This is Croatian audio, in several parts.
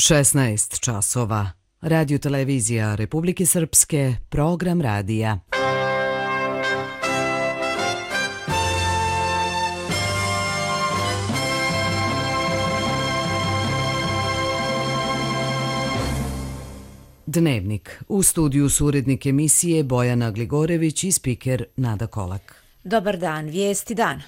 16 časova. Radio televizija Republike Srpske, program radija. Dnevnik. U studiju su urednik emisije Bojana Gligorević i spiker Nada Kolak. Dobar dan, vijesti dana.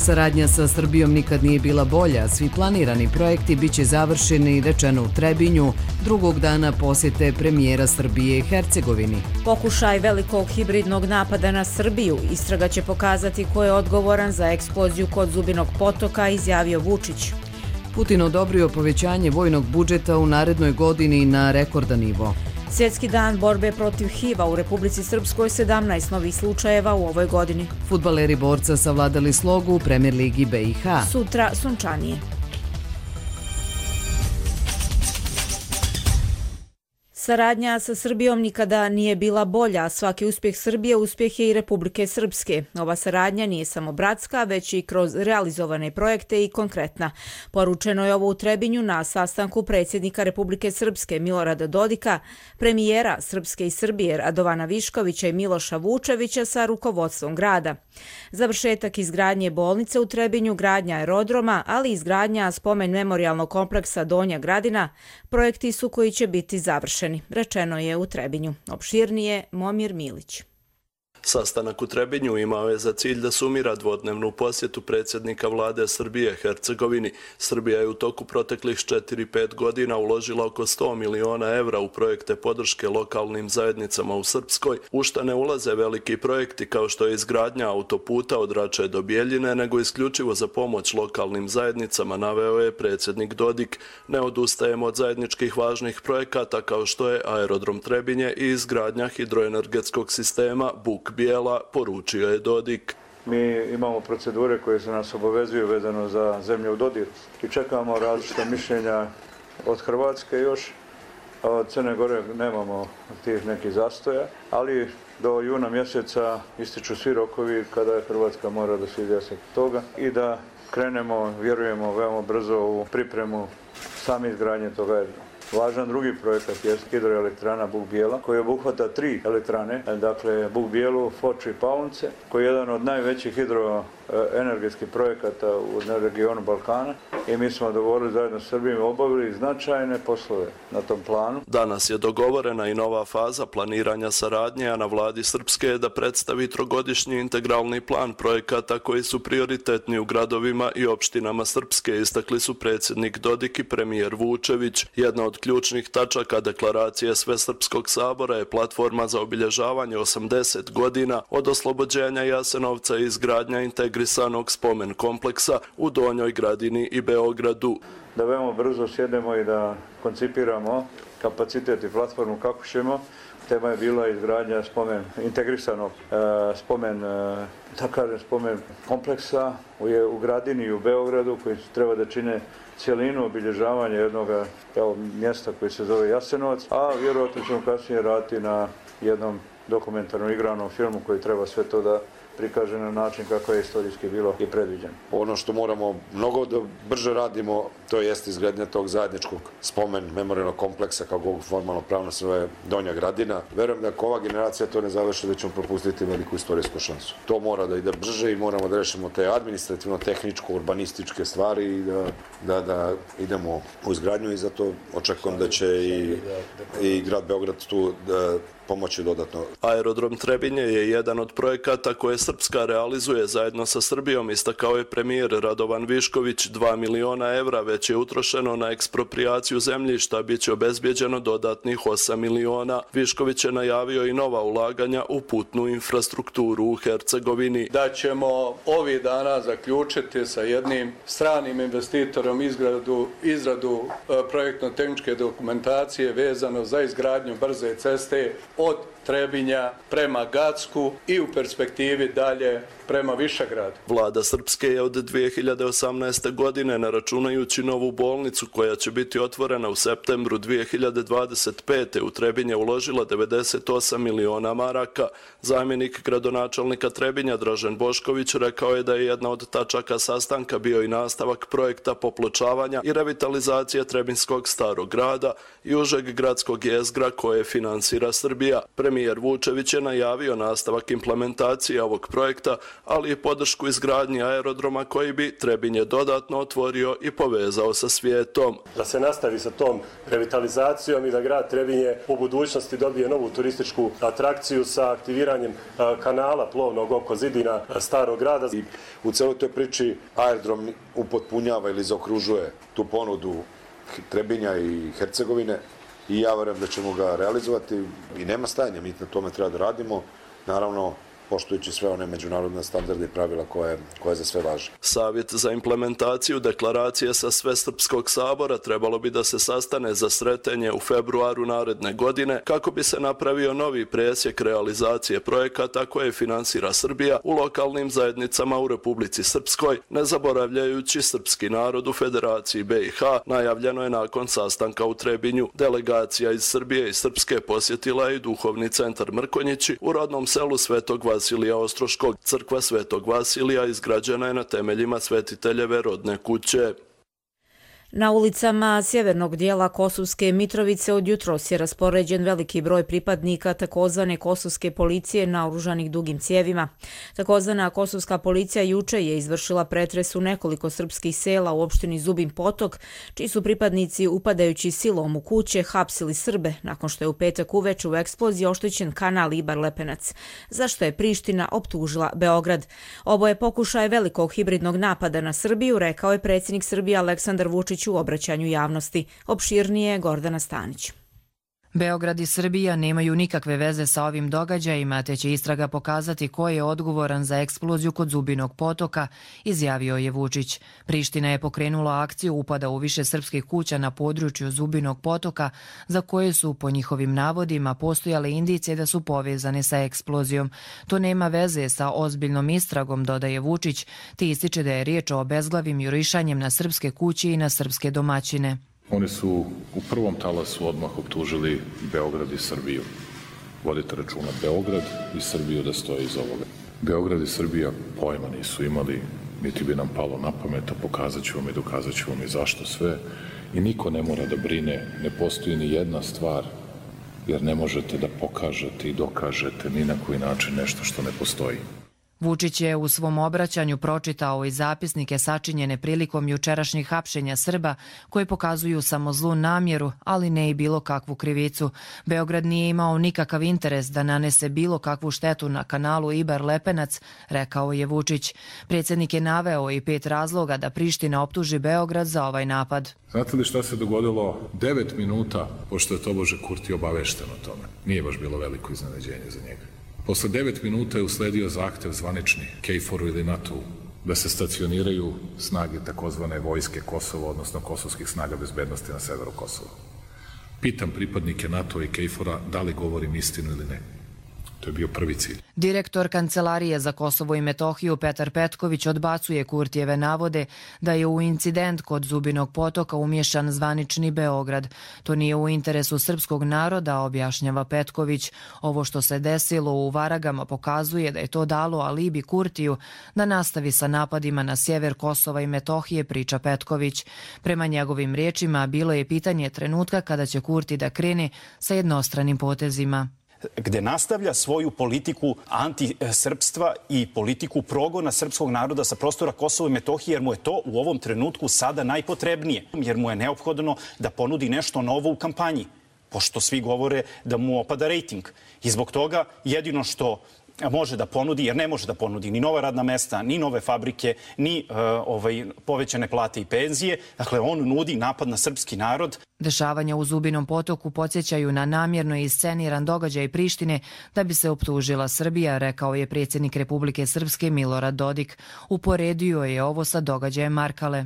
Saradnja sa Srbijom nikad nije bila bolja, svi planirani projekti biće završeni, rečeno u Trebinju, drugog dana posjete premijera Srbije i Hercegovini. Pokušaj velikog hibridnog napada na Srbiju, istraga će pokazati ko je odgovoran za eksploziju kod Zubinog potoka, izjavio Vučić. Putin odobrio povećanje vojnog budžeta u narednoj godini na rekordan nivo. Svjetski dan borbe protiv HIV-a u Republici Srpskoj, 17 novih slučajeva u ovoj godini. Fudbaleri Borca savladali slogu u Premier ligi BiH. Sutra sunčanije. Saradnja sa Srbijom nikada nije bila bolja, svaki uspjeh Srbije uspjeh je i Republike Srpske. Ova saradnja nije samo bratska, već i kroz realizovane projekte i konkretna. Poručeno je ovo u Trebinju na sastanku predsjednika Republike Srpske Milorada Dodika, premijera Srpske i Srbije Radovana Viškovića i Miloša Vučevića sa rukovodstvom grada. Završetak izgradnje bolnice u Trebinju, gradnja aerodroma, ali i izgradnja spomen memorijalnog kompleksa Donja Gradina, projekti su koji će biti završeni. Rečeno je u Trebinju. Opširnije Momir Milić. Sastanak u Trebinju imao je za cilj da sumira dvodnevnu posjetu predsjednika vlade Srbije Hercegovini. Srbija je u toku proteklih 4-5 godina uložila oko 100 miliona evra u projekte podrške lokalnim zajednicama u Srpskoj, u šta ne ulaze veliki projekti kao što je izgradnja autoputa od Rače do Bjeljine, nego isključivo za pomoć lokalnim zajednicama, naveo je predsjednik Dodik. Ne odustajemo od zajedničkih važnih projekata kao što je aerodrom Trebinje i izgradnja hidroenergetskog sistema Buk Bijela, poručio je Dodik. Mi imamo procedure koje se nas obavezuju vezano za zemlje u dodiru i čekamo različita mišljenja od Hrvatske još, a od Crne Gore nemamo tih nekih zastoja, ali do juna mjeseca ističu svi rokovi kada Hrvatska mora da se izjasni toga i da krenemo, vjerujemo, veoma brzo u pripremu same izgradnje toga aerodroma. Važan drugi projekat je hidroelektrana Buk Bijela, koji obuhvata 3 elektrane, dakle Buk Bijelu, Foču i Paunce, koji je jedan od najvećih hidroenergetskih projekata u regionu Balkana i mi smo dogovorili zajedno s Srbijom i obavili značajne poslove na tom planu. Danas je dogovorena i nova faza planiranja saradnje, a na vladi Srpske je da predstavi trogodišnji integralni plan projekata koji su prioritetni u gradovima i opštinama Srpske, istakli su predsjednik Dodik i premijer Vučević. Jedna od ključnih tačaka deklaracije Svesrpskog sabora je platforma za obilježavanje 80 godina od oslobođenja Jasenovca i izgradnja integrisanog spomen kompleksa u Donjoj Gradini i Beogradu. Da veoma brzo sjedemo i da koncipiramo kapacitet i platformu kako ćemo. Tema je bila izgradnja integrisanog spomen kompleksa u Gradini i u Beogradu koji treba da čine cijelinu obilježavanja jednog mjesta koji se zove Jasenovac, a vjerojatno ćemo kasnije raditi na jednom dokumentarnom igranom filmu koji treba sve to da prikaže na način kako je istorijski bilo i predviđeno. Ono što moramo mnogo da brže radimo, to jeste izgradnja tog zajedničkog spomen memorijalnog kompleksa, kako formalno pravno se zove Donja Gradina. Verujem da ako ova generacija to ne završi, da ćemo propustiti veliku istorijsku šansu. To mora da ide brže i moramo da rešimo te administrativno, tehničko, urbanističke stvari i da idemo u izgradnju i zato očekujem da će i grad Beograd tu pomoći dodatno. Aerodrom Trebinje je jedan od projekata koje Srpska realizuje zajedno sa Srbijom, istakao je premijer Radovan Višković. 2 miliona evra već je utrošeno na eksproprijaciju zemljišta, bit će obezbjeđeno dodatnih 8 miliona. Višković je najavio i nova ulaganja u putnu infrastrukturu u Hercegovini. Da ćemo ovih dana zaključiti sa jednim stranim investitorom izradu projektno-tehničke dokumentacije vezano za izgradnju brze ceste od Trebinja prema Gacku i u perspektivi dalje prema Višegradu. Vlada Srpske je od 2018. godine, ne računajući novu bolnicu koja će biti otvorena u septembru 2025. u Trebinje uložila 98 miliona maraka. Zamjenik gradonačelnika Trebinja Dražen Bošković rekao je da je jedna od tačaka sastanka bio i nastavak projekta popločavanja i revitalizacije Trebinskog starog grada i užeg gradskog jezgra koje finansira Srbija. Premijer Vučević je najavio nastavak implementacije ovog projekta, ali i podršku izgradnji aerodroma koji bi Trebinje dodatno otvorio i povezao sa svijetom. Da se nastavi sa tom revitalizacijom i da grad Trebinje u budućnosti dobije novu turističku atrakciju sa aktiviranjem kanala plovnog oko zidina starog grada. I u celoj toj priči aerodrom upotpunjava ili zaokružuje tu ponudu Trebinja i Hercegovine i ja verujem da ćemo ga realizovati i nema stajanja, mi na tome treba da radimo, naravno poštujući sve one međunarodne standarde i pravila koje za sve važe. Savjet za implementaciju deklaracije sa Svesrpskog sabora trebalo bi da se sastane za sretanje u februaru naredne godine kako bi se napravio novi presjek realizacije projekata koje finansira Srbija u lokalnim zajednicama u Republici Srpskoj, ne zaboravljajući srpski narod u Federaciji BiH, najavljeno je nakon sastanka u Trebinju. Delegacija iz Srbije i Srpske posjetila je i duhovni centar Mrkonjići u rodnom selu Svetog Vasilija Ostroškog. Crkva Svetog Vasilija izgrađena je na temeljima svetiteljeve rodne kuće. Na ulicama sjevernog dijela Kosovske Mitrovice od jutros je raspoređen veliki broj pripadnika takozvane kosovske policije naoružanih dugim cijevima. Takozvana kosovska policija juče je izvršila pretres u nekoliko srpskih sela u opštini Zubin Potok, čiji su pripadnici upadajući silom u kuće hapsili Srbe nakon što je u petak uveče u eksploziji oštećen kanal Ibar-Lepenac, za što je Priština optužila Beograd. Ovo je pokušaj velikog hibridnog napada na Srbiju, rekao je predsjednik Srbije Aleksandar Vučić u obraćanju javnosti. Opširnije Gordana Stanić. Beograd i Srbija nemaju nikakve veze sa ovim događajima, te će istraga pokazati ko je odgovoran za eksploziju kod Zubinog potoka, izjavio je Vučić. Priština je pokrenula akciju upada u više srpskih kuća na području Zubinog potoka, za koje su, po njihovim navodima, postojale indicije da su povezane sa eksplozijom. To nema veze sa ozbiljnom istragom, dodaje Vučić, te ističe da je riječ o obezglavim jurišanjem na srpske kuće i na srpske domaćine. Oni su u prvom talasu odmah optužili Beograd i Srbiju. Vodite računa, Beograd i Srbiju da stoje iz ovoga. Beograd i Srbija pojma nisu imali, niti bi nam palo na pamet, a pokazat ću vam i dokazat ću vam i zašto sve. I niko ne mora da brine, ne postoji ni jedna stvar, jer ne možete da pokažete i dokažete ni na koji način nešto što ne postoji. Vučić je u svom obraćanju pročitao i zapisnike sačinjene prilikom jučerašnjih hapšenja Srba koji pokazuju samo zlu namjeru, ali ne i bilo kakvu krivicu. Beograd nije imao nikakav interes da nanese bilo kakvu štetu na kanalu Ibar-Lepenac, rekao je Vučić. Predsjednik je naveo i 5 razloga da Priština optuži Beograd za ovaj napad. Znate li šta se dogodilo 9 minuta pošto je tobože Kurti obavešten o tome? Nije baš bilo veliko iznenađenje za njega. Posle 9 minuta je usledio zahtev zvanični KFOR-u ili NATO-u da se stacioniraju snage takozvane vojske Kosova, odnosno kosovskih snaga bezbednosti na severu Kosova. Pitam pripadnike NATO-a i KFOR-a da li govorim istinu ili ne. To je bio prvi cilj. Direktor Kancelarije za Kosovo i Metohiju Petar Petković odbacuje Kurtijeve navode da je u incident kod Zubinog potoka umješan zvanični Beograd. To nije u interesu srpskog naroda, objašnjava Petković. Ovo što se desilo u Varagama pokazuje da je to dalo alibi Kurtiju da nastavi sa napadima na sjever Kosova i Metohije, priča Petković. Prema njegovim riječima bilo je pitanje trenutka kada će Kurti da krene sa jednostranim potezima, gde nastavlja svoju politiku antisrpstva i politiku progona srpskog naroda sa prostora Kosova i Metohije, jer mu je to u ovom trenutku sada najpotrebnije, jer mu je neophodno da ponudi nešto novo u kampanji, pošto svi govore da mu opada rejting. I zbog toga jedino što može da ponudi, jer ne može da ponudi ni nova radna mesta, ni nove fabrike, ni povećane plate i penzije. Dakle, on nudi napad na srpski narod. Dešavanja u Zubinom potoku podsjećaju na namjerno isceniran događaj Prištine da bi se optužila Srbija, rekao je predsjednik Republike Srpske Milorad Dodik. Uporedio je ovo sa događajem Markale.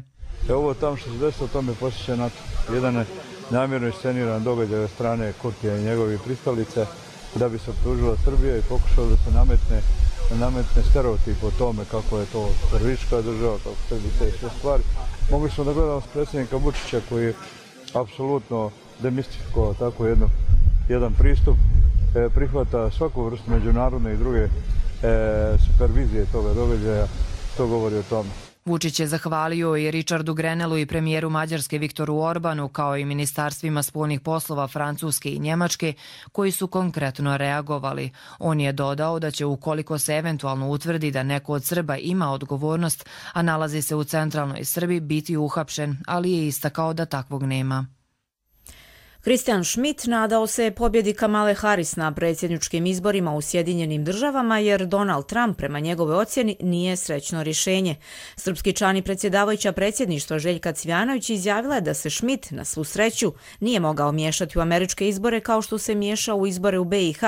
Ovo tamo što se desilo, to me posjeća na to. Jedan namjerno isceniran događaj od strane Kurtija i njegovih pristalice da bi se optužila Srbija i pokušao da se nametne nametne stereotip o tome kako je to teroristička država, kako sve bi te sve stvari. Mogli smo da gledamo predsjednika Vučića koji je apsolutno demistifikovao tako jedan pristup, prihvata svaku vrstu međunarodne i druge supervizije toga događaja, to govori o tome. Vučić je zahvalio i Richardu Grenelu i premijeru Mađarske Viktoru Orbanu, kao i ministarstvima spoljnih poslova Francuske i Njemačke, koji su konkretno reagovali. On je dodao da će, ukoliko se eventualno utvrdi da neko od Srba ima odgovornost, a nalazi se u centralnoj Srbiji, biti uhapšen, ali je istakao da takvog nema. Christian Schmidt nadao se pobjedi Kamale Harris na predsjedničkim izborima u Sjedinjenim državama jer Donald Trump prema njegove ocjeni nije srećno rješenje. Srpski član i predsjedavajuća predsjedništva Željka Cvijanović izjavila je da se Schmidt na svu sreću nije mogao miješati u američke izbore kao što se miješao u izbore u BiH.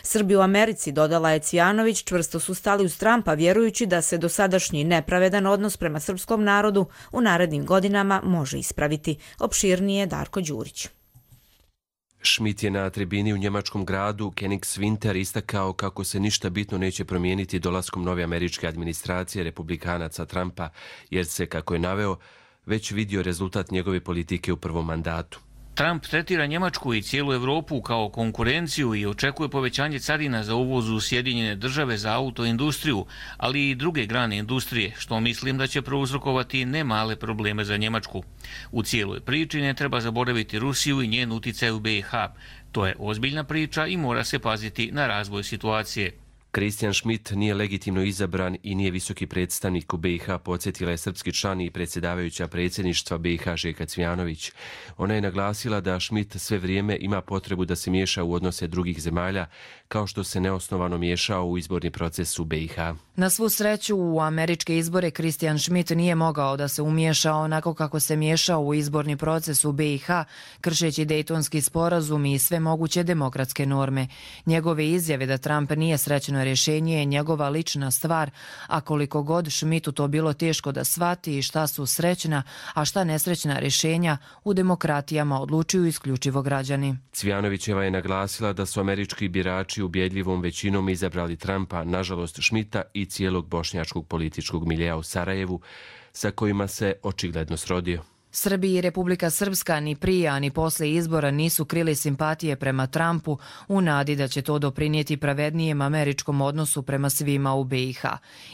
Srbi u Americi, dodala je Cvijanović, čvrsto su stali uz Trumpa vjerujući da se dosadašnji nepravedan odnos prema srpskom narodu u narednim godinama može ispraviti. Opširnije Darko Đurić. Schmidt je na tribini u njemačkom gradu Königswinter istakao kako se ništa bitno neće promijeniti dolaskom nove američke administracije republikanaca Trumpa, jer se, kako je naveo, već vidio rezultat njegove politike u prvom mandatu. Trump tretira Njemačku i cijelu Europu kao konkurenciju i očekuje povećanje carina za uvoz u Sjedinjene države za autoindustriju, ali i druge grane industrije, što mislim da će prouzrokovati ne male probleme za Njemačku. U cijeloj priči ne treba zaboraviti Rusiju i njen uticaj u BiH. To je ozbiljna priča i mora se paziti na razvoj situacije. Christian Schmidt nije legitimno izabran i nije visoki predstavnik u BiH, podsjetila je srpski član i predsjedavajuća predsjedništva BiH Željka Cvijanović. Ona je naglasila da Schmidt sve vrijeme ima potrebu da se miješa u odnose drugih zemalja, kao što se neosnovano miješao u izborni proces u BiH. Na svu sreću, u američke izbore Christian Schmidt nije mogao da se umiješa onako kako se miješao u izborni proces u BiH, kršeći Dejtonski sporazum i sve moguće demokratske norme. Njegove izjave da Trump nije srećno rješenje je njegova lična stvar, a koliko god Schmidtu to bilo teško da shvati i šta su srećna, a šta nesrećna rješenja, u demokratijama odlučuju isključivo građani. Cvijanovićeva je naglasila da su američki birači ubjedljivom većinom izabrali Trumpa, nažalost Schmidta i cijelog bošnjačkog političkog miljeja u Sarajevu, sa kojima se očigledno srodio. Srbi i Republika Srpska ni prije, a ni posle izbora nisu krili simpatije prema Trumpu u nadi da će to doprinijeti pravednijem američkom odnosu prema svima u BiH.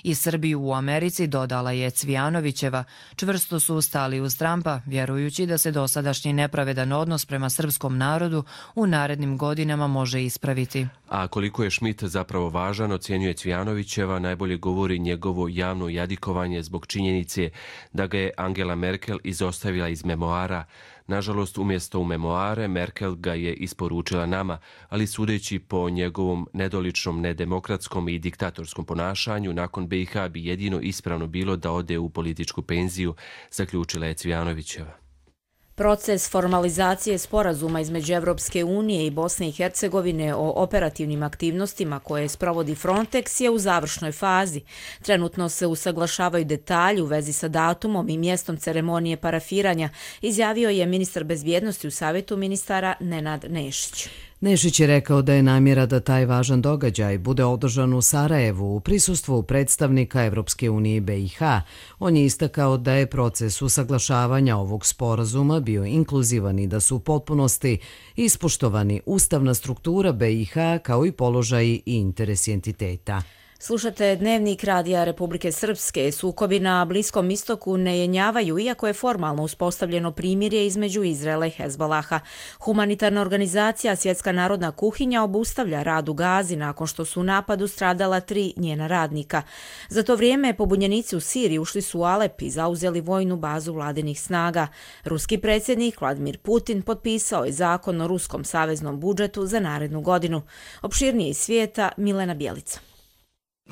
I Srbi u Americi, dodala je Cvijanovićeva, čvrsto su stali uz Trumpa, vjerujući da se dosadašnji nepravedan odnos prema srpskom narodu u narednim godinama može ispraviti. A koliko je Schmidt zapravo važan, ocjenjuje Cvijanovićeva, najbolje govori njegovo javno jadikovanje zbog činjenice da ga je Angela Merkel izostavila iz memoara. Nažalost, umjesto u memoare, Merkel ga je isporučila nama, ali sudeći po njegovom nedoličnom, nedemokratskom i diktatorskom ponašanju, nakon BiH bi jedino ispravno bilo da ode u političku penziju, zaključila je Cvijanovićeva. Proces formalizacije sporazuma između Evropske unije i Bosne i Hercegovine o operativnim aktivnostima koje sprovodi Frontex je u završnoj fazi. Trenutno se usaglašavaju detalji u vezi sa datumom i mjestom ceremonije parafiranja, izjavio je ministar bezbjednosti u Savjetu ministara Nenad Nešić. Nešić je rekao da je namjera da taj važan događaj bude održan u Sarajevu u prisustvu predstavnika Evropske unije i BiH. On je istakao da je proces usaglašavanja ovog sporazuma bio inkluzivan i da su u potpunosti ispoštovani ustavna struktura BiH kao i položaji i interesi entiteta. Slušate Dnevnik Radija Republike Srpske. Sukobi na Bliskom istoku ne jenjavaju, iako je formalno uspostavljeno primirje između Izraela i Hezbolaha. Humanitarna organizacija Svjetska narodna kuhinja obustavlja rad u Gazi nakon što su u napadu stradala 3 njena radnika. Za to vrijeme pobunjenici u Siriji ušli su u Alep i zauzeli vojnu bazu vladinih snaga. Ruski predsjednik Vladimir Putin potpisao je zakon o ruskom saveznom budžetu za narednu godinu. Opširnije iz svijeta, Milena Bjelica.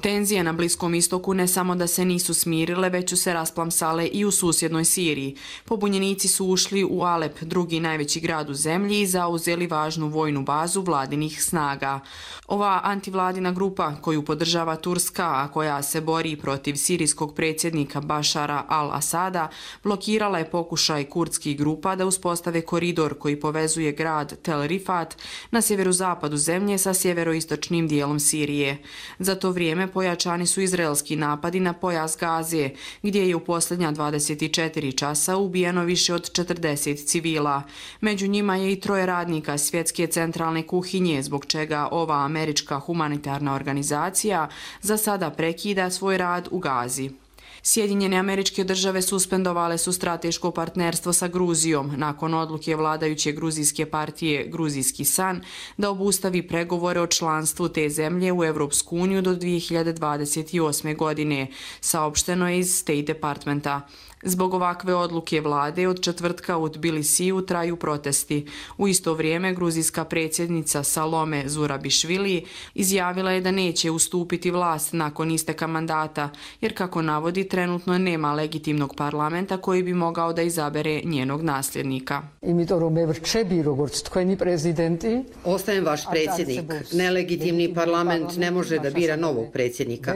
Tenzije na Bliskom istoku ne samo da se nisu smirile, već su se rasplamsale i u susjednoj Siriji. Pobunjenici su ušli u Alep, drugi najveći grad u zemlji, i zauzeli važnu vojnu bazu vladinih snaga. Ova antivladina grupa, koju podržava Turska, a koja se bori protiv sirijskog predsjednika Bašara al-Asada, blokirala je pokušaj kurdskih grupa da uspostave koridor koji povezuje grad Tel Rifat na sjeverozapadu zemlje sa sjeveroistočnim dijelom Sirije. Za to vrijeme vrijeme pojačani su izraelski napadi na pojas Gaze, gdje je u posljednja 24 časa ubijeno više od 40 civila. Među njima je i 3 radnika Svjetske centralne kuhinje, zbog čega ova američka humanitarna organizacija za sada prekida svoj rad u Gazi. Sjedinjene Američke Države suspendovale su strateško partnerstvo sa Gruzijom nakon odluke vladajuće gruzijske partije Gruzijski san da obustavi pregovore o članstvu te zemlje u Evropsku uniju do 2028. godine, saopšteno je iz State Departmenta. Zbog ovakve odluke vlade od četvrtka u Tbilisiju traju protesti. U isto vrijeme gruzijska predsjednica Salome Zurabišvili izjavila je da neće ustupiti vlast nakon isteka mandata, jer kako navodi trenutno nema legitimnog parlamenta koji bi mogao da izabere njenog nasljednika. Ostajem vaš predsjednik. Nelegitimni parlament ne može da bira novog predsjednika.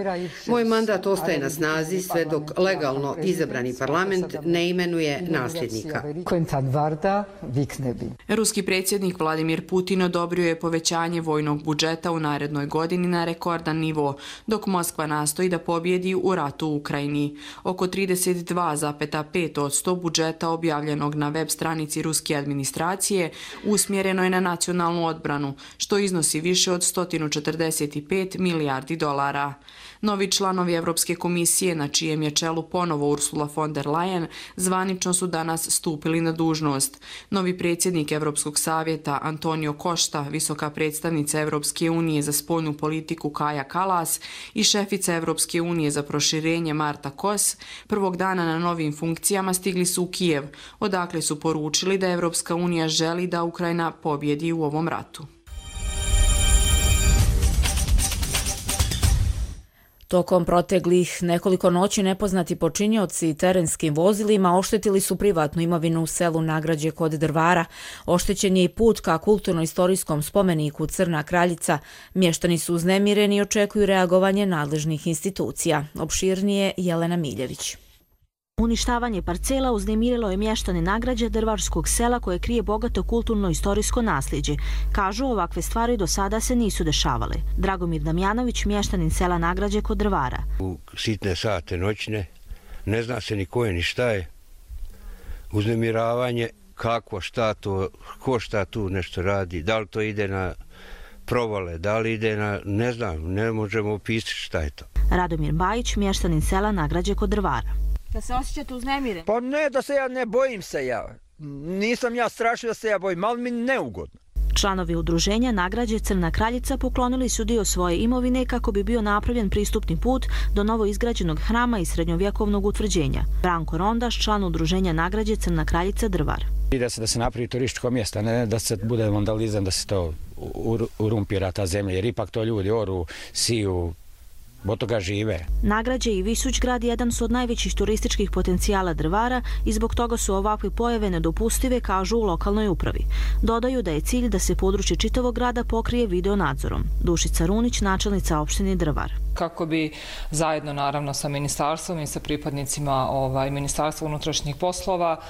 Moj mandat ostaje na snazi sve dok legalno izabrani parlament ne imenuje nasljednika. Ruski predsjednik Vladimir Putin odobrio je povećanje vojnog budžeta u narednoj godini na rekordan nivo, dok Moskva nastoji da pobjedi u ratu u Ukrajini. Oko 32,5% budžeta objavljenog na web stranici ruske administracije usmjereno je na nacionalnu odbranu, što iznosi više od 145 milijardi dolara. Novi članovi Evropske komisije, na čijem je čelu ponovo Ursula von der Leyen, zvanično su danas stupili na dužnost. Novi predsjednik Evropskog savjeta Antonio Costa, visoka predstavnica Evropske unije za spoljnu politiku Kaja Kallas i šefica Evropske unije za proširenje Marta Kos, prvog dana na novim funkcijama stigli su u Kijev, odakle su poručili da Evropska unija želi da Ukrajina pobjedi u ovom ratu. Tokom proteklih nekoliko noći nepoznati počinioci terenskim vozilima oštetili su privatnu imovinu u selu Nagrađe kod Drvara. Oštećen je i put ka kulturno-istorijskom spomeniku Crna Kraljica. Mještani su uznemireni i očekuju reagovanje nadležnih institucija. Opširnije Jelena Miljević. Uništavanje parcela uznemirilo je mještane Nagrađe Drvarskog sela koje krije bogato kulturno-istorijsko nasljeđe. Kažu, ovakve stvari do sada se nisu dešavale. Dragomir Damjanović, mještanin sela Nagrađe kod Drvara. U sitne sate noćne, ne zna se ni ko je ni šta je. Uznemiravanje, kako, šta to, ko šta tu nešto radi, da li to ide na provale, da li ide na, ne znam, ne možemo opisati šta je to. Radomir Bajić, mještanin sela Nagrađe kod Drvara. Da se osjećate uznemiren? Pa ne, da se ja ne bojim se ja. Nisam ja strašio da se ja bojim, ali mi neugodno. Članovi udruženja Nagrađe Crna Kraljica poklonili su dio svoje imovine kako bi bio napravljen pristupni put do novo izgrađenog hrama i srednjovjekovnog utvrđenja. Branko Rondaš, član udruženja Nagrađe Crna Kraljica Drvar. Da se napravi turističko mjesto, ne da se bude vandalizam, da se to urumpira ta zemlja, jer ipak to ljudi oru, siju, od toga žive. Nagrađe i Visućgrad jedan su od najvećih turističkih potencijala Drvara i zbog toga su ovakve pojave nedopustive, kažu u lokalnoj upravi. Dodaju da je cilj da se područje čitavog grada pokrije video nadzorom. Dušica Runić, načelnica opštine Drvar. Kako bi zajedno naravno sa ministarstvom i sa pripadnicima Ministarstva unutrašnjih poslova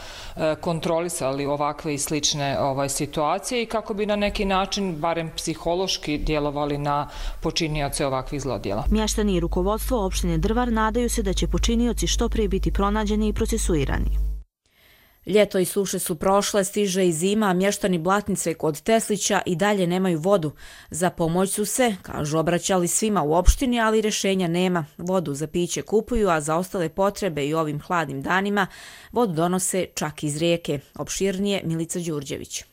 kontrolisali ovakve i slične situacije i kako bi na neki način, barem psihološki, djelovali na počinioce ovakvih zlodjela. Mještani i rukovodstvo opštine Drvar nadaju se da će počinioci što prije biti pronađeni i procesuirani. Ljeto i suše su prošle, stiže i zima, a mještani Blatnice kod Teslića i dalje nemaju vodu. Za pomoć su se, kažu, obraćali svima u opštini, ali rješenja nema. Vodu za piće kupuju, a za ostale potrebe i ovim hladnim danima vodu donose čak iz rijeke. Opširnije Milica Đurđević.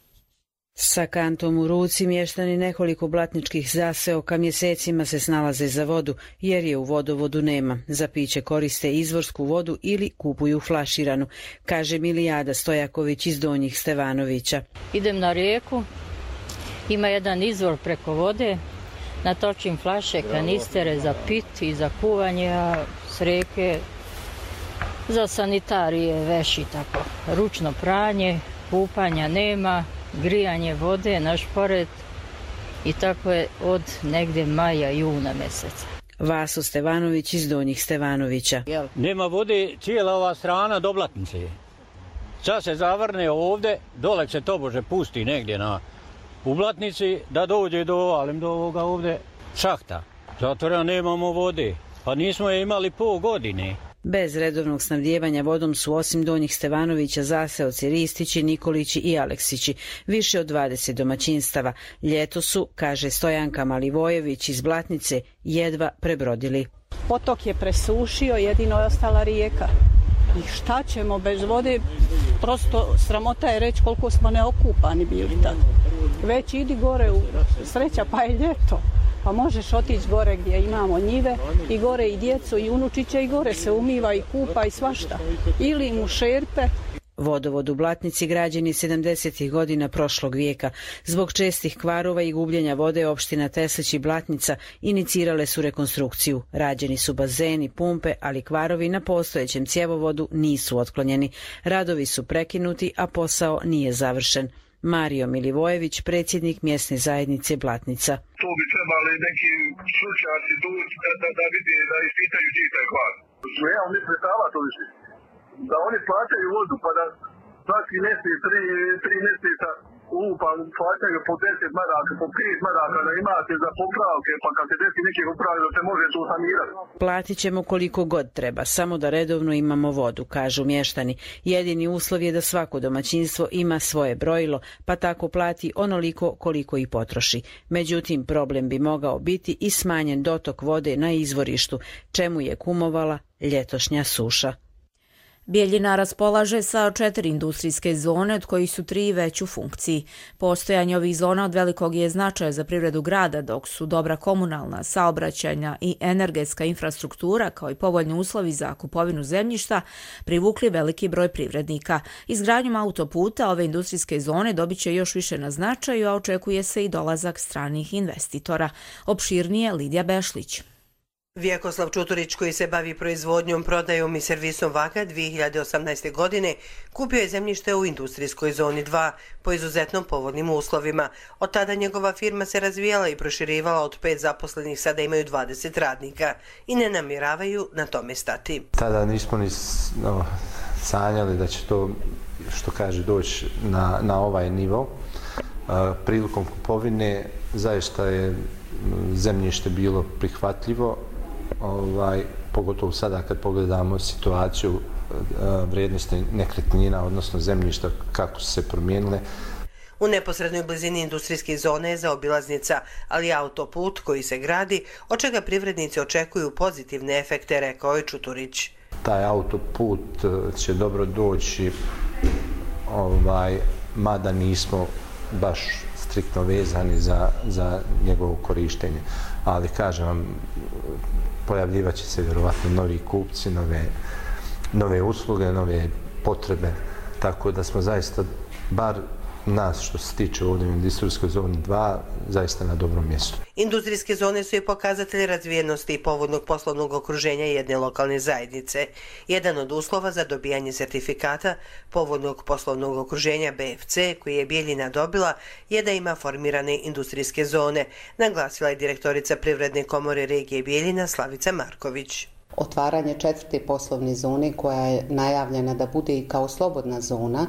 Sa kantom u ruci mještani nekoliko blatničkih zaseoka mjesecima se snalaze za vodu, jer je u vodovodu nema. Za piće koriste izvorsku vodu ili kupuju flaširanu, kaže Milijada Stojaković iz Donjih Stevanovića. Idem na rijeku, ima jedan izvor preko vode, natočim flaše, kanistere za pit i za kuvanje, a s rijeke za sanitarije, veši tako. Ručno pranje, kupanja nema, grijanje vode na šporet i tako je od negdje maja, juna mjeseca. Vaso Stevanović iz Donjih Stevanovića. Nema vode, cijela ova strana do Blatnice je. Sad se zavrne ovdje, dole se tobože pusti negdje u Blatnici da dođe do ovoga ovdje šahta. Zato nemamo vode. Pa nismo je imali pol godine. Bez redovnog snabdijevanja vodom su osim Donjih Stevanovića zaseoci Ristići, Nikolići i Aleksići, više od 20 domaćinstava. Ljeto su, kaže Stojanka Malivojević iz Blatnice, jedva prebrodili. Potok je presušio, jedino je ostala rijeka. I šta ćemo bez vode? Prosto sramota je reći koliko smo neokupani bili tad. Već idi gore u sreća, pa je ljeto. Pa možeš otići gore gdje imamo njive i gore i djecu i unučiće i gore se umiva i kupa i svašta. Ili mu šerpe. Vodovod u Blatnici građen je 70. godina prošlog vijeka. Zbog čestih kvarova i gubljenja vode opština Teslić i Blatnica inicirale su rekonstrukciju. Rađeni su bazeni, pumpe, ali kvarovi na postojećem cjevovodu nisu otklonjeni. Radovi su prekinuti, a posao nije završen. Mario Milivojević, predsjednik mjesne zajednice Blatnica. Tu bi trebali neki stručnjaci da vidi, da ispitaju čiji taj kvar. Ja mi predstava to više. Da oni plaćaju vodu, pa da svaki mjesec, tri mjeseca plaćaju po 10 maraka, po 5 maraka, da imate za popravke, pa kad se desi neke popravke, da se može tu sanirati. Platit ćemo koliko god treba, samo da redovno imamo vodu, kažu mještani. Jedini uslov je da svako domaćinstvo ima svoje brojilo, pa tako plati onoliko koliko i potroši. Međutim, problem bi mogao biti i smanjen dotok vode na izvorištu, čemu je kumovala ljetošnja suša. Bijeljina raspolaže sa 4 industrijske zone, od kojih su 3 već u funkciji. Postojanje ovih zona od velikog je značaja za privredu grada, dok su dobra komunalna, saobraćajna i energetska infrastruktura, kao i povoljni uslovi za kupovinu zemljišta, privukli veliki broj privrednika. Izgradnjom autoputa ove industrijske zone dobit će još više na značaju, a očekuje se i dolazak stranih investitora. Opširnije Lidija Bešlić. Vjekoslav Čuturić, koji se bavi proizvodnjom, prodajom i servisom vaga, 2018. godine kupio je zemljište u industrijskoj zoni 2 po izuzetno povoljnim uslovima. Od tada njegova firma se razvijala i proširivala, od 5 zaposlenih sada imaju 20 radnika i ne namjeravaju na tome stati. Tada nismo ni sanjali da će to, što kaže, doći na ovaj nivo. Prilikom kupovine zaista je zemljište bilo prihvatljivo, pogotovo sada kad pogledamo situaciju vrijednosti nekretnina, odnosno zemljišta, kako su se promijenile. U neposrednoj blizini industrijske zone je zaobilaznica, ali autoput koji se gradi, od čega privrednici očekuju pozitivne efekte, rekao je Čuturić. Taj autoput će dobro doći, mada nismo baš striktno vezani za njegovo korištenje. Ali, kažem vam, pojavljivat će se vjerovatno novi kupci, nove usluge, nove potrebe, tako da smo zaista, bar nas što se tiče ovdje u industrijskoj zoni 2, zaista na dobrom mjestu. Industrijske zone su i pokazatelji razvijenosti i povoljnog poslovnog okruženja jedne lokalne zajednice. Jedan od uslova za dobijanje sertifikata povoljnog poslovnog okruženja BFC, koji je Bijeljina dobila, je da ima formirane industrijske zone, naglasila je direktorica Privredne komore regije Bijeljina Slavica Marković. Otvaranje 4. poslovne zone koja je najavljena da bude i kao slobodna zona,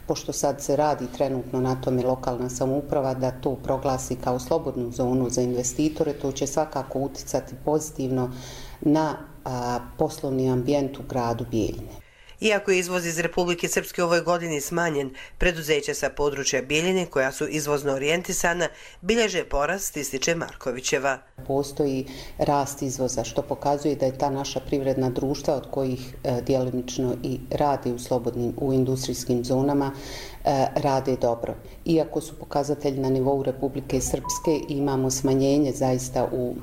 pošto sad se radi trenutno na tome lokalna samouprava da to proglasi kao slobodnu zonu za investitore, to će svakako uticati pozitivno na poslovni ambijent u gradu Bijeljine. Iako je izvoz iz Republike Srpske u ovoj godini smanjen, preduzeća sa područja Bijeljine, koja su izvozno orijentisana, bilježe porast, ističe Markovićeva. Postoji rast izvoza, što pokazuje da je ta naša privredna društva, od kojih djelomično i radi u industrijskim zonama, rade dobro. Iako su pokazatelji na nivou Republike Srpske, imamo smanjenje zaista u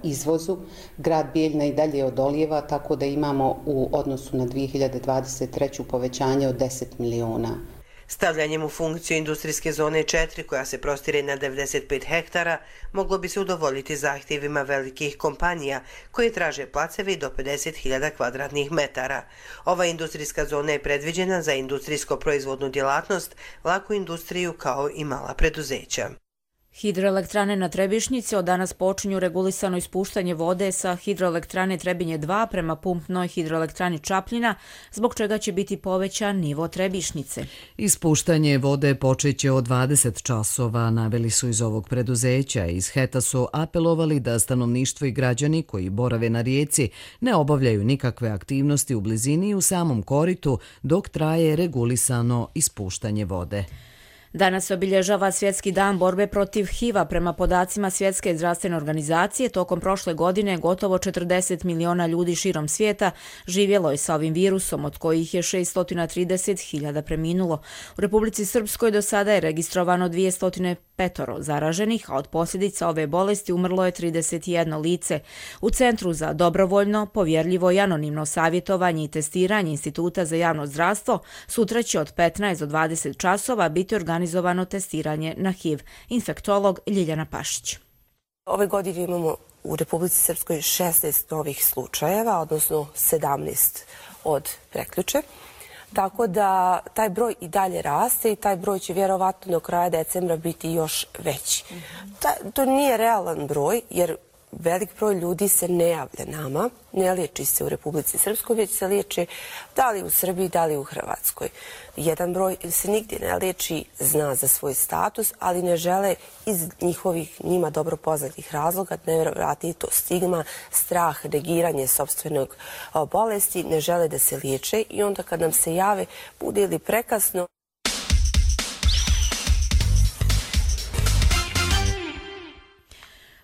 izvozu. Grad Bijeljina i dalje odolijeva, tako da imamo u odnosu na 2023. povećanje od 10 miliona. Stavljanjem u funkciju industrijske zone 4, koja se prostire na 95 hektara, moglo bi se udovoljiti zahtjevima velikih kompanija koje traže placeve do 50.000 kvadratnih metara. Ova industrijska zona je predviđena za industrijsko-proizvodnu djelatnost, laku industriju kao i mala preduzeća. Hidroelektrane na Trebišnjici od danas počinju regulisano ispuštanje vode sa hidroelektrane Trebinje 2 prema pumpnoj hidroelektrani Čapljina, zbog čega će biti povećan nivo Trebišnjice. Ispuštanje vode počeće od 20 časova, naveli su iz ovog preduzeća. Iz HET-a su apelovali da stanovništvo i građani koji borave na rijeci ne obavljaju nikakve aktivnosti u blizini i u samom koritu dok traje regulisano ispuštanje vode. Danas se obilježava Svjetski dan borbe protiv HIV-a. Prema podacima Svjetske zdravstvene organizacije, tokom prošle godine gotovo 40 miliona ljudi širom svijeta živjelo je sa ovim virusom, od kojih je 630.000 preminulo. U Republici Srpskoj do sada je registrovano 205 zaraženih, a od posljedica ove bolesti umrlo je 31 lice. U Centru za dobrovoljno, povjerljivo i anonimno savjetovanje i testiranje Instituta za javno zdravstvo sutra će od 15 do 20 časova biti organizovano testiranje na HIV. Infektolog Ljiljana Pašić. Ove godine imamo u Republici Srpskoj 16 novih slučajeva, odnosno 17 od prekjuče. Tako da taj broj i dalje raste i taj broj će vjerovatno do kraja decembra biti još veći. To nije realan broj jer velik broj ljudi se ne javlja nama, ne liječi se u Republici Srpskoj, već se liječi da li u Srbiji, da li u Hrvatskoj. Jedan broj se nigdje ne liječi, zna za svoj status, ali ne žele iz njihovih njima dobro poznatih razloga, nevjerojatno je to stigma, strah, negiranje sopstvenog bolesti, ne žele da se liječe i onda kad nam se jave, bude ili prekasno.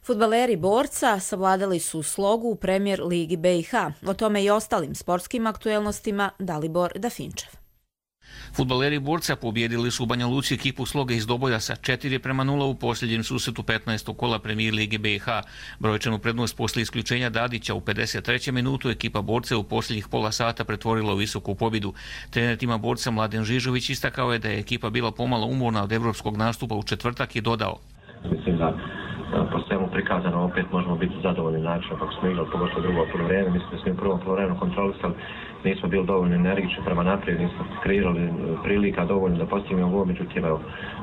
Fudbaleri Borca savladali su slogu u Premier ligi BiH. O tome i ostalim sportskim aktuelnostima Dalibor Dafinčev. Fudbaleri Borca pobjedili su u Banja Luci ekipu Sloga iz Doboja sa 4:0 u posljednjem susretu 15. kola Premier lige BiH. Brojčanu prednost poslije isključenja Dadića u 53. minutu ekipa Borce u posljednjih pola sata pretvorila u visoku pobjedu. Trener tima Borca Mladen Žižović istakao je da je ekipa bila pomalo umorna od evropskog nastupa u četvrtak i dodao: Mislim da po svemu prikazano opet možemo biti zadovoljni načinom kako smo igrali, pogotovo drugo poluvreme. Mislim da smo im prvo poluvreme kontrolisali, nismo bili dovoljno energični prema naprijed, nismo kreirali prilika dovoljno da postignemo gol, međutim evo,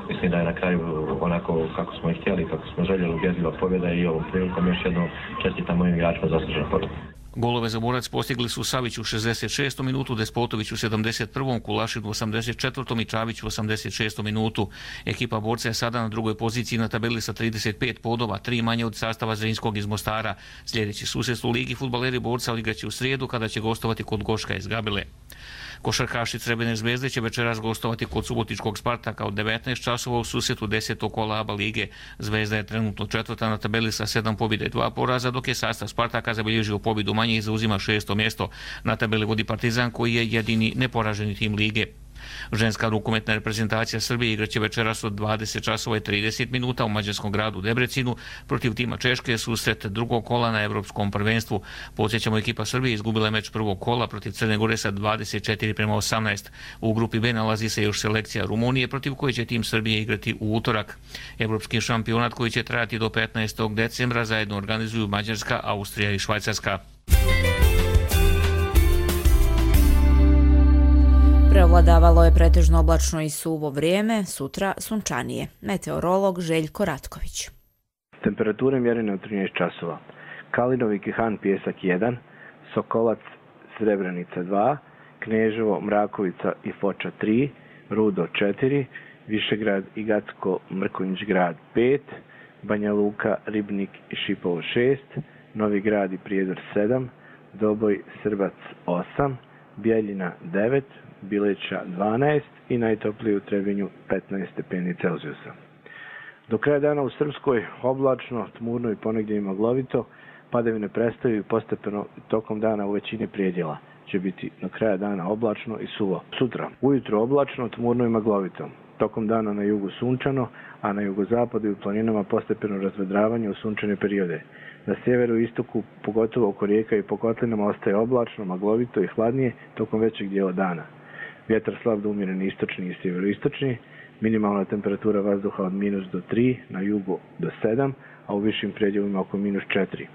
mislim da je na kraju onako kako smo i htjeli, kako smo željeli, ubjedljiva pobjeda i ovom prilikom još jednom čestitam mojim igračima zaslužena pobjeda. Golove za Borac postigli su Savić u 66. minutu, Despotović u 71. Kulašin u 84. i Čavić u 86. minutu. Ekipa Borca je sada na drugoj poziciji na tabeli sa 35 bodova, 3 manje od sastava Zrinskog iz Mostara. Sljedeći susret u ligi Fudbaleri Borca odigraće u srijedu kada će gostovati kod Goška iz Gabile. Košarkaši Crvene zvezde će večeras gostovati kod subotičkog Spartaka od 19 časova u susretu 10. kola ABA lige. Zvezda je trenutno četvrta na tabeli sa 7 pobjede i 2 poraza, dok je sastav Spartaka zabilježio pobjedu manje i zauzima 6. mjesto. Na tabeli vodi Partizan koji je jedini neporaženi tim lige. Ženska rukometna reprezentacija Srbije igraće večeras od 20 časova i 30 minuta u mađarskom gradu Debrecinu protiv tima Češke susret drugog kola na Evropskom prvenstvu. Podsjećamo, ekipa Srbije izgubila meč prvog kola protiv Crne Gore sa 24:18. U grupi B nalazi se još selekcija Rumunije protiv koje će tim Srbije igrati u utorak. Evropski šampionat koji će trajati do 15. decembra zajedno organizuju Mađarska, Austrija i Švajcarska. Preovladavalo je pretežno oblačno i suvo vrijeme, sutra sunčanije. Meteorolog Željko Ratković. Temperature mjerene u 13 časova. Kalinovi Kihan Pjesak 1, Sokolac Srebrenica 2, Kneževo Mrakovica i Foča 3, Rudo 4, Višegrad i Gacko Mrkonjić grad 5, Banja Luka, Ribnik i Šipovo 6, Novi Grad i Prijedor 7, Doboj Srbac 8, Bijeljina 9, Bileća 12 i najtoplije u Trebinju 15 stepeni Celzijusa. Do kraja dana u Srpskoj oblačno, tmurno i ponegdje i maglovito, padavine prestaju i postepeno tokom dana u većini prijedjela će biti do kraja dana oblačno i suvo. Sutra ujutro oblačno, tmurno i maglovito, tokom dana na jugu sunčano, a na jugozapadu i u planinama postepeno razvedravanje u sunčane periode. Na sjeveru i istoku, pogotovo oko rijeka i po kotlinama, ostaje oblačno, maglovito i hladnije tokom većeg dijela dana. Vjetar slab do umjeren istočni i sjeveroistočni, minimalna temperatura vazduha od -3 do 3, na jugu do 7, a u višim predjelima oko -4.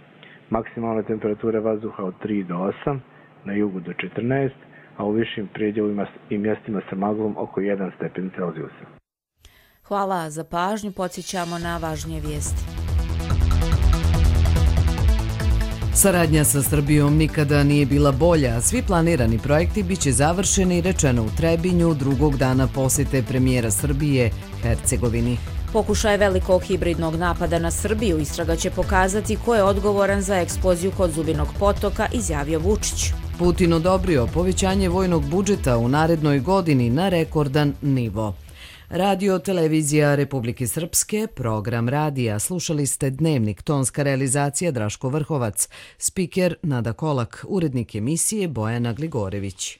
Maksimalna temperatura vazduha od 3 do 8, na jugu do 14, a u višim predjelima i mjestima sa maglom oko 1 stepen Celzijusa. Hvala za pažnju, podsjećamo na važnije vijesti. Saradnja sa Srbijom nikada nije bila bolja. Svi planirani projekti biće završeni, rečeno u Trebinju, drugog dana posjete premijera Srbije Hercegovini. Pokušaj velikog hibridnog napada na Srbiju istraga će pokazati ko je odgovoran za eksploziju kod Zubinog potoka, izjavio Vučić. Putin odobrio povećanje vojnog budžeta u narednoj godini na rekordan nivo. Radio Televizija Republike Srpske, program radija. Slušali ste Dnevnik, tonska realizacija Draško Vrhovac, spiker Nada Kolak, urednik emisije Bojana Gligorević.